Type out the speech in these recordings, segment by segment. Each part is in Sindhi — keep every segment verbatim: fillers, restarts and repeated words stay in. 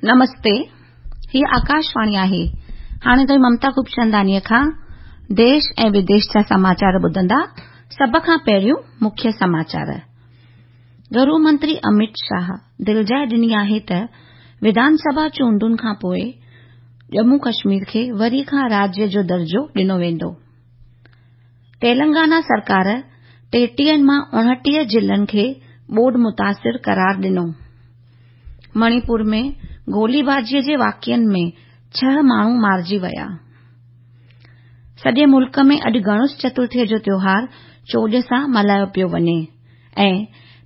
نمستي، هيء آڪاشواڻي آهي. هاڻي توهين ممتا خوبچنداڻيء کان ديش ۽ وديش جا سماچار ٻڌندا. سڀ کان پهريون مکيه سماچار. گهرو منتري امت شاهه دلجاءِ ڏني آهي ته وڌان سڀا چونڊن کان پوءِ ڄمون ڪشمير کي وري کان راجيه جو درجو ڏنو ويندو. تيلنگانا سرڪار ٽيٽيهن مان اڻٽيهه ضلعن کي ٻوڏ متاثر قرار ڏنو. مڻيپور ۾ گوليبازيء جي واقعن ۾ ڇهه ماڻهو مارجي ويا. سڄي ملڪ ۾ اڄ گڻيش چترٿيء جو تيوهار چوڄ سان ملهايو پيو وڃي ۽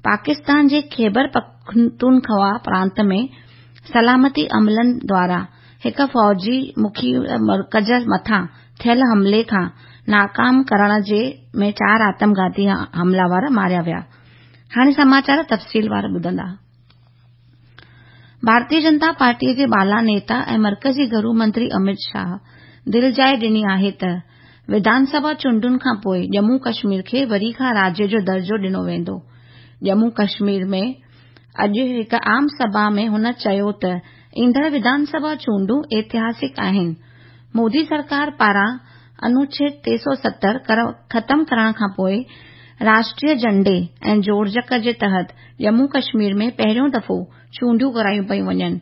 پاڪستان جي خيبر پختونخوا پرانت ۾ سلامتي عملن دواران هڪ فوجي مکيه مرڪز مٿان ٿيل حملي کان ناڪام ڪرڻ ۾ چار آتمگهاتي حمله آور ماريا ويا. هاڻي سماچار تفصيلوار ٻڌندا. ڀارتيه جنتا پارٽيء جي بالا نيتا ۽ مرڪزي گهرو منتري امت شاهه دلجاءِ ڏني آهي ته وڌان سڀا چونڊن کان پوءِ ڄمون ڪشمير کي وري کان راجيه جو درجو ڏنو ويندو. ڄمون ڪشمير ۾ اڄ هڪ عام سڀا ۾ هن چيو ته ايندڙ وڌان سڀا چونڊون ايتهاسڪ آهن. مودي سرڪار پاران انوڇيد ٽي سؤ ستر ختم ڪرڻ کان پوءِ راشٽريه جهنڊي ۽ جوڙجڪ جي تحت ڄمون ڪشمير ۾ پهريون دفعو چونڊيون ڪرايون پيون وڃن.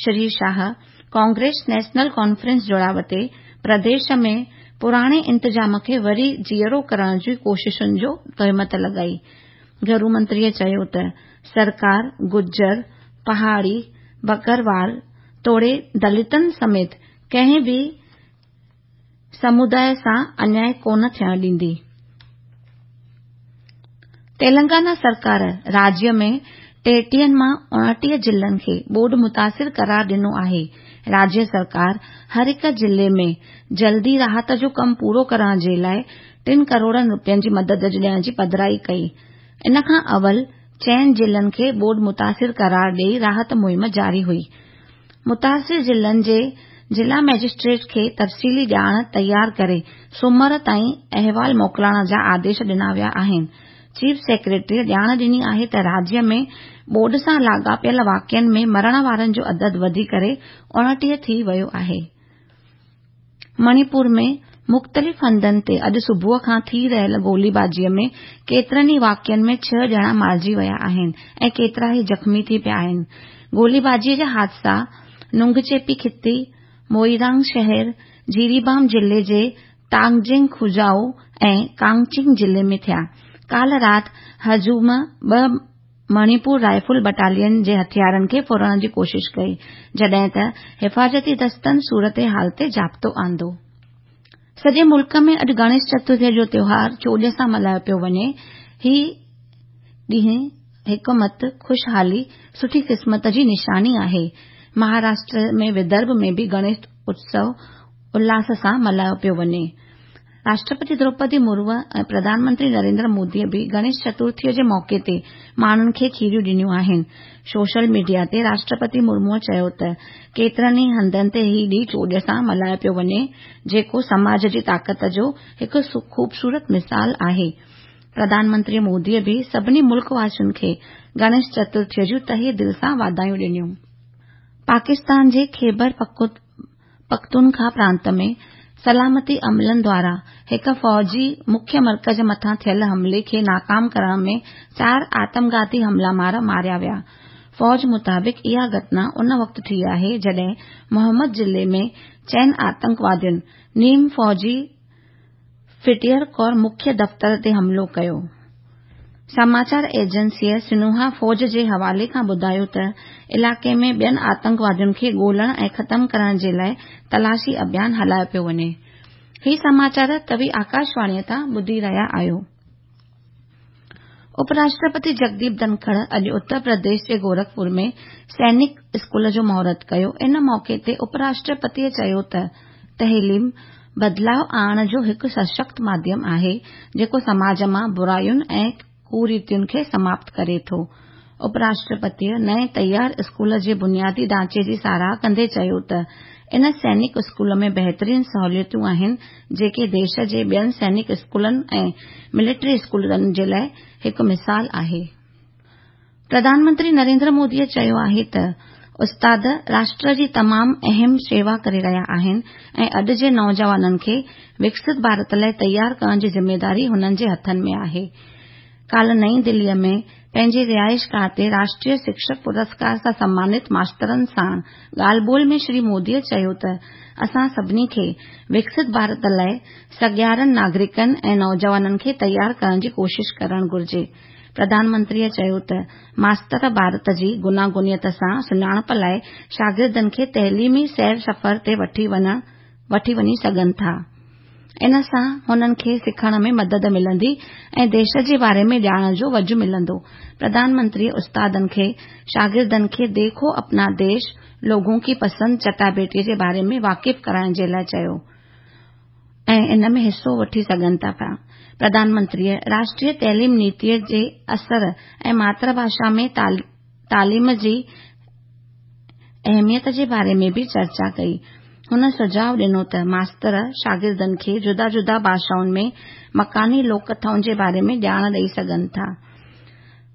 Shri Shah Congress National Conference جڙاءُ تي پرديش ۾ پراڻي انتظام کي وري جيئرو ڪرڻ جي ڪوششن جو تهمت لڳائي. گهرو منتريءَ چيو ته سرڪار گجر، پهاڙي، بڪروال توڙي دلتن سميت ڪنهن به سمداءِ سان انياءُ ڪونه ٿيڻ ڏيندي. تيلنگانا سرڪار راجيه ۾ ٽيٽيهن مان اڻٽيهه ضلعن کي ٻوڏ متاثر قرار ڏنو آهي. راجيه سرڪار هر هڪ ضلعي ۾ جلدي راحت جو ڪم پورو ڪرڻ جي لاءِ ٽن ڪروڙن رپين جي مدد ڏيڻ جي پڌرائي ڪئي. ان کان اول چئن ضلعن کي ٻوڏ متاثر قرار ڏئي راحت مهم جاري هئي. متاثر ضلعن جي ضلع مئجسٽريٽ کي تفصيلي ڄاڻ تيار ڪري سومر تائين احوال موڪلڻ جا آديش ڏنا ويا آهن. چيف سيڪريٽريء ڄاڻ ڏني آهي ته راجيه ۾ ٻوڏ سان لاڳاپيل واقعن ۾ مرڻ وارن جو عدد وڌي ڪري اڻٽيهه ٿي ويو آهي. مڻيپور ۾ مختلف هنڌن تي اڄ صبح کان ٿي رهيل گوليبازيء ۾ ڪيترن ئي واقعن ۾ ڇهه ڄڻا مارجي ويا آهن ۽ ڪيترا ئي زخمي ٿي پيا آهن. گوليبازيء جا حادثا نونگچيپي خطي، موئرانگ شهر، جيريبام ضلعي جي تانگجنگ کجائو ۽ ڪاڪچنگ ضلعي ۾ ٿيا. ڪالهه رات هجوم ٻه مڻيپور رائفل بٽالين جي هٿيارن کي ڦرڻ جي ڪوشش ڪئي، جڏهن ته حفاظتي دستن صورتحال تي ضابطو آندو. سڄي ملڪ ۾ اڄ گڻيش چترٿيء جو تيوهار چوڄ سان ملهايو پيو وڃي. هي ڏينهن حڪمت، خوشحالي، سٺي قسمت جي نشاني آهي. مهاراشٽر ۾ ودرڀ ۾ به گڻيش اتسو الاس سان ملهايو پيو وڃي. راشٽرپتي دروپدي مرمو ۽ پرڌان منتري نريندر موديءَ به گڻيش چترٿيءَ جي موقعي تي ماڻهن کي کيريون ڏنيون آهن. سوشل ميڊيا تي راشٽرپتي مرموءَ چيو ته ڪيترن ئي هنڌن تي هي ڏينهن چوڄ سان ملهايو پيو وڃي، جيڪو سماج جي طاقت جو هڪ خوبصورت مثال آهي. پرڌان منتري موديءَ به سڀني ملڪ واسين کي گڻيش چترٿيءَ جون تهه دل سان واڌايون ڏنيون. پاڪستان جي خيبر پختونخوا پرانت ۾ سلامتي عملن دواران هڪ فوجي مکيه مرڪز مٿان ٿيل حملي کي ناڪام ڪرڻ ۾ چار آتمگهاتي حمله آور ماريا ويا. فوج مطابق اها گهٽنا ان وقت ٿي آهي جڏهن محمد ضلعي ۾ چئن آتنڪوادين نيم فوجي فرنٽيئر ڪور مکيه دفتر تي حملو ڪيو. سماچار ايجنسيءَ سنهوا فوج جي حوالي کان ٻڌايو ته علائقي ۾ ٻين آتنڪوادين کي ڳولڻ ۽ ختم ڪرڻ جي لاءِ تلاشي اڀيان هلايو پيو وڃي. هي سماچار توهين آڪاشواڻيءَ تان ٻڌي رهيا آهيو. اپراشٽرپتي جگديپ ڌنکڙ اڄ اتر پرديش جي گورکپور ۾ سينڪ اسڪول جو مهورت ڪيو. ان موقعي تي اپراشٽرپتيءَ چيو ته تعليم بدلاءُ آڻڻ جو هڪ سشڪت ماڌيم آهي، جيڪو سماج مان براين ۽ ڪريتين کي سماپت ڪري ٿو. اپراشٽرپتيءَ نئين تيار اسڪول جي بنيادي ڍانچي جي ساراهه ڪندي چيو ته ان سينڪ اسڪول ۾ بهترين سهوليتون آهن، جيڪي ديش جي ٻين سينڪ اسڪولن ۽ ملٽري اسڪولن جي لاءِ هڪ مثال آهي. پرڌان منتري نريندر موديءَ چيو آهي ته استاد راشٽر جي تمام اهم شيوا ڪري رهيا آهن ۽ اڄ جي نوجوانن کي وڪست ڀارت لاءِ تيار ڪرڻ جي ذميداري هنن جي هٿن ۾ آهي. ڪالهه نئين دليءَ ۾ پنهنجي رهائشگاهه تي راشٽريه شڪشڪ پرسڪار سان سمانت ماسترن ساڻ ڳالهه ٻولهه ۾ شري موديءَ چيو ته اسان سڀني کي وڪست ڀارت لاءِ سگهارن ناگرڪن ۽ نوجوانن کي تيار ڪرڻ جي ڪوشش ڪرڻ گهرجي. پرڌان منتريءَ چيو ته ماستر ڀارت جي گوناگونيت سان سڃاڻپ لاءِ شاگردن کي تعليمي سير سفر تي وٺي وٺي وڃي سگهن ٿا. ان سان هنن کي سکڻ ۾ مدد ملندي ۽ ديش جي باري ۾ ڄاڻ جو وجهه ملندو. پرڌان منتريءَ استادن کي شاگردن کي ديکو اپنا ديش لوگون ڪي پسند چٽاڀيٽيءَ جي باري ۾ واقف ڪرائڻ جي لاءِ چيو ۽ ان ۾ حصو وٺي سگهن ٿا پيا. پرڌان منتريءَ راشٽريه تعليم نيتيءَ جي اثر ۽ ماتر ڀاشا ۾ تعليم جي اهميت جي باري ۾ به چرچا ڪئي. هن سجهاءُ ڏنو ته ماستر شاگردن کي جدا جدا ڀاشائن ۾ مڪاني لوڪ ڪٿائن جي باري ۾ ڄاڻ ڏئي سگهن ٿا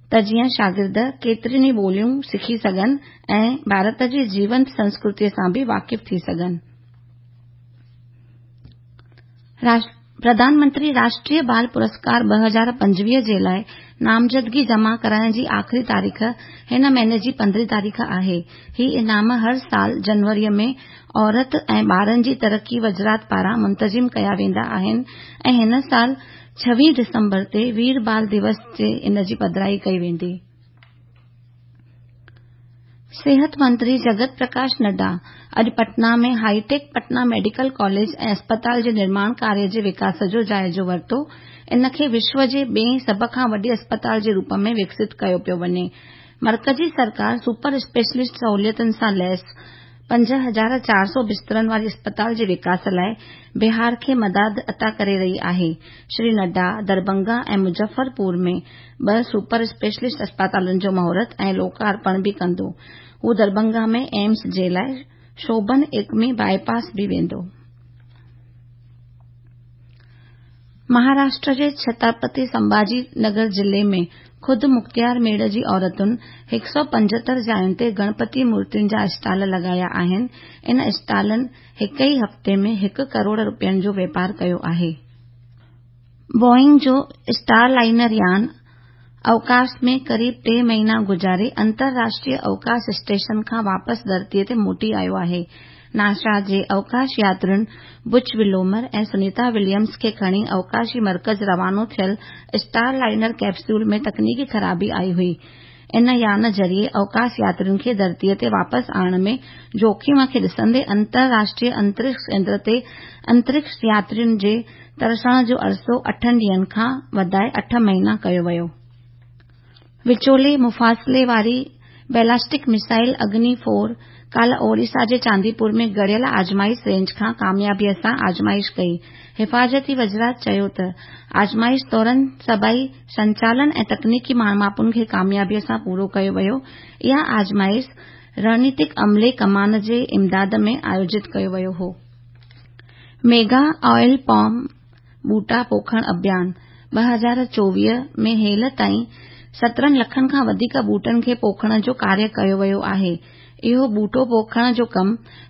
ته جيئن شاگرد ڪيتريون ئي ٻوليون سکي سگهن ۽ ڀارت جي جيونت سنسڪرتيءَ سان به واقف ٿي سگهن. پرڌان منتري راشٽريه بال پرسڪار ٻه هزار پنجويهه جي لاءِ نامزدگي جمع ڪرائڻ جي آخري تاريخ هن مهيني جي پندرهين تاريخ آهي. هي انعام هر سال جنوريءَ ۾ عورت ۽ ٻارن جي ترقي وزارت پاران منتظم ڪيا ويندا آهن ۽ هن سال ڇويهه ڊسمبر تي وير بال دوس تي ان جي پڌرائي ڪئي ويندي. صحت منتري جگت پرڪاش نڊا اڄ پٽنا ۾ هائي-ٽيڪ پٽنا ميڊيڪل ڪاليج ۽ اسپتال جي نرماڻ ڪاريه جي وڪاس جو جائزو ورتو. ان کي وشو جي ٻئين سڀ کان وڏي اسپتال جي روپ ۾ وڪست ڪيو پيو وڃي. مرڪزي سرڪار سپر اسپيشلسٽ سهوليتن سان ليس پنج هزار چار سؤ بسترن واري اسپتال جي وڪاس لاءِ بهار کي مدد عطا ڪري رهي آهي. شري نڊا درڀنگا ۽ مظفرپور ۾ ٻه سپر اسپيشلسٽ اسپتالن جو مهورت ۽ لوڪارپڻ به ڪندو. هو درڀنگا ۾ ايمس جي لاءِ شوڀن ايڪمي باءِ پاس به ويندو. مهاراشٽر جي ڇترپتي سنڀاجي نگر ضلعي ۾ خود مختيار ميڙ جي عورتن هڪ سؤ پنجهتر جاين تي گڻپتي مورتين جا اسٽال لڳايا آهن. ان اسٽالن هڪ ئي هفتي ۾ هڪ ڪروڙ رپين جو واپار ڪيو آهي. بوئنگ جو اسٽار لائنر يان اوڪاش ۾ قريب ٽي مهينا گذاري انترراشٽريه اوڪاش اسٽيشن کان واپس ڌرتيءَ تي موٽي آيو آهي. ناسا جي اوڪاش ياترين بچ ولمور ۽ سنيتا وليمز کي کڻي اوڪاشي مرڪز روانو ٿيل اسٽار لائنر ڪيپسول ۾ تڪنيڪي خرابي آئي هئي. ان يان ذريعي اوڪاش ياترين کي ڌرتيءَ تي واپس آڻڻ ۾ جوکم کي ڏسندي انترراشٽريه انترڪش ڪيندر تي انترڪش ياترين جي ترسڻ جو عرصو اٺن ڏينهن کان وڌائي اٺ مهينا ڪيو ويو. وچولي مفاصلي واري بيلسٽڪ ميزائل اگني فور ڪالهه اوڙيسا جي چانديپور ۾ گهڙيل آزمائش رينج کان ڪاميابيءَ سان آزمائش ڪئي. حفاظتي وزارت چيو ته آزمائش دوران سڀئي سنچالن ۽ تڪنيڪي ماپن کي ڪاميابيءَ سان پورو ڪيو ويو. اها آزمائش رڻنيتڪ عملي ڪمان جي امداد ۾ آيوجت ڪيو ويو هو. ميگا آئل پام ٻوٽا پوکڻ اڀيان ٻه هزار چوويهه ۾ هيل تائين سترهن لکن کان وڌيڪ ٻوٽن کي پوکڻ جو ڪاريه ڪيو ويو آهي. اهو ٻوٽو پوکڻ جو ڪم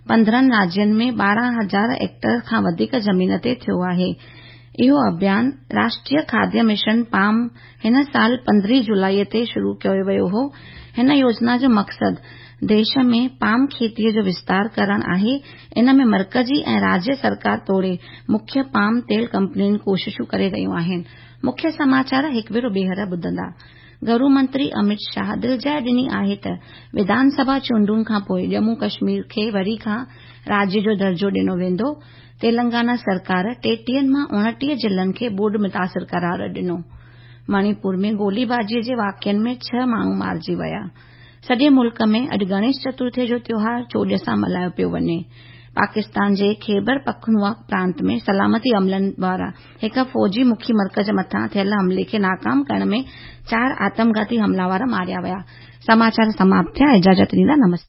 پندرهن راجين ۾ ٻارهن هزار ايڪڙ کان وڌيڪ زمين تي ٿيو آهي. اهو اڀيان راشٽريه کاديه مشن پام هن سال پندرهين جولاءِ تي شروع ڪيو ويو هو. هن يوجنا جو مقصد ديش ۾ پام کيتيءَ جو وستار ڪرڻ آهي. ان ۾ مرڪزي ۽ راجيه سرڪار توڙي مکيه پام تيل ڪمپنيون ڪوششون ڪري رهيون آهن. مکيه سماچار هڪ ڀيرو ٻيهر ٻڌندا. گهرو منتري امت شاهه دلجاءِ ڏني آهي ته وڌان سڀا چونڊن کان پوءِ ڄمون ڪشمير کي وري کان راجيه جو درجو ڏنو ويندو. تيلنگانا سرڪار ٽيٽيهن مان اڻٽيهه ضلعن کي ٻوڏ متاثر قرار ڏنو. مڻيپور ۾ گوليبازيءَ جي واقعن ۾ ڇهه ماڻهو مارجي ويا. سڄي ملڪ ۾ اڄ گڻيش چترٿيءَ جو تيوهار چوڄ سان ملهايو پيو وڃي. پاڪستان جي خيبر پختونخوا پرانت ۾ سلامتي عملن وارا هڪ فوجي مکي مرڪز مٿان ٿيل حملي کي ناڪام ڪرڻ ۾ چار آتمگهاتي حملاور ماريا ويا. سماچار سماپت ٿيا. اجازت ڏيندا. نمستي.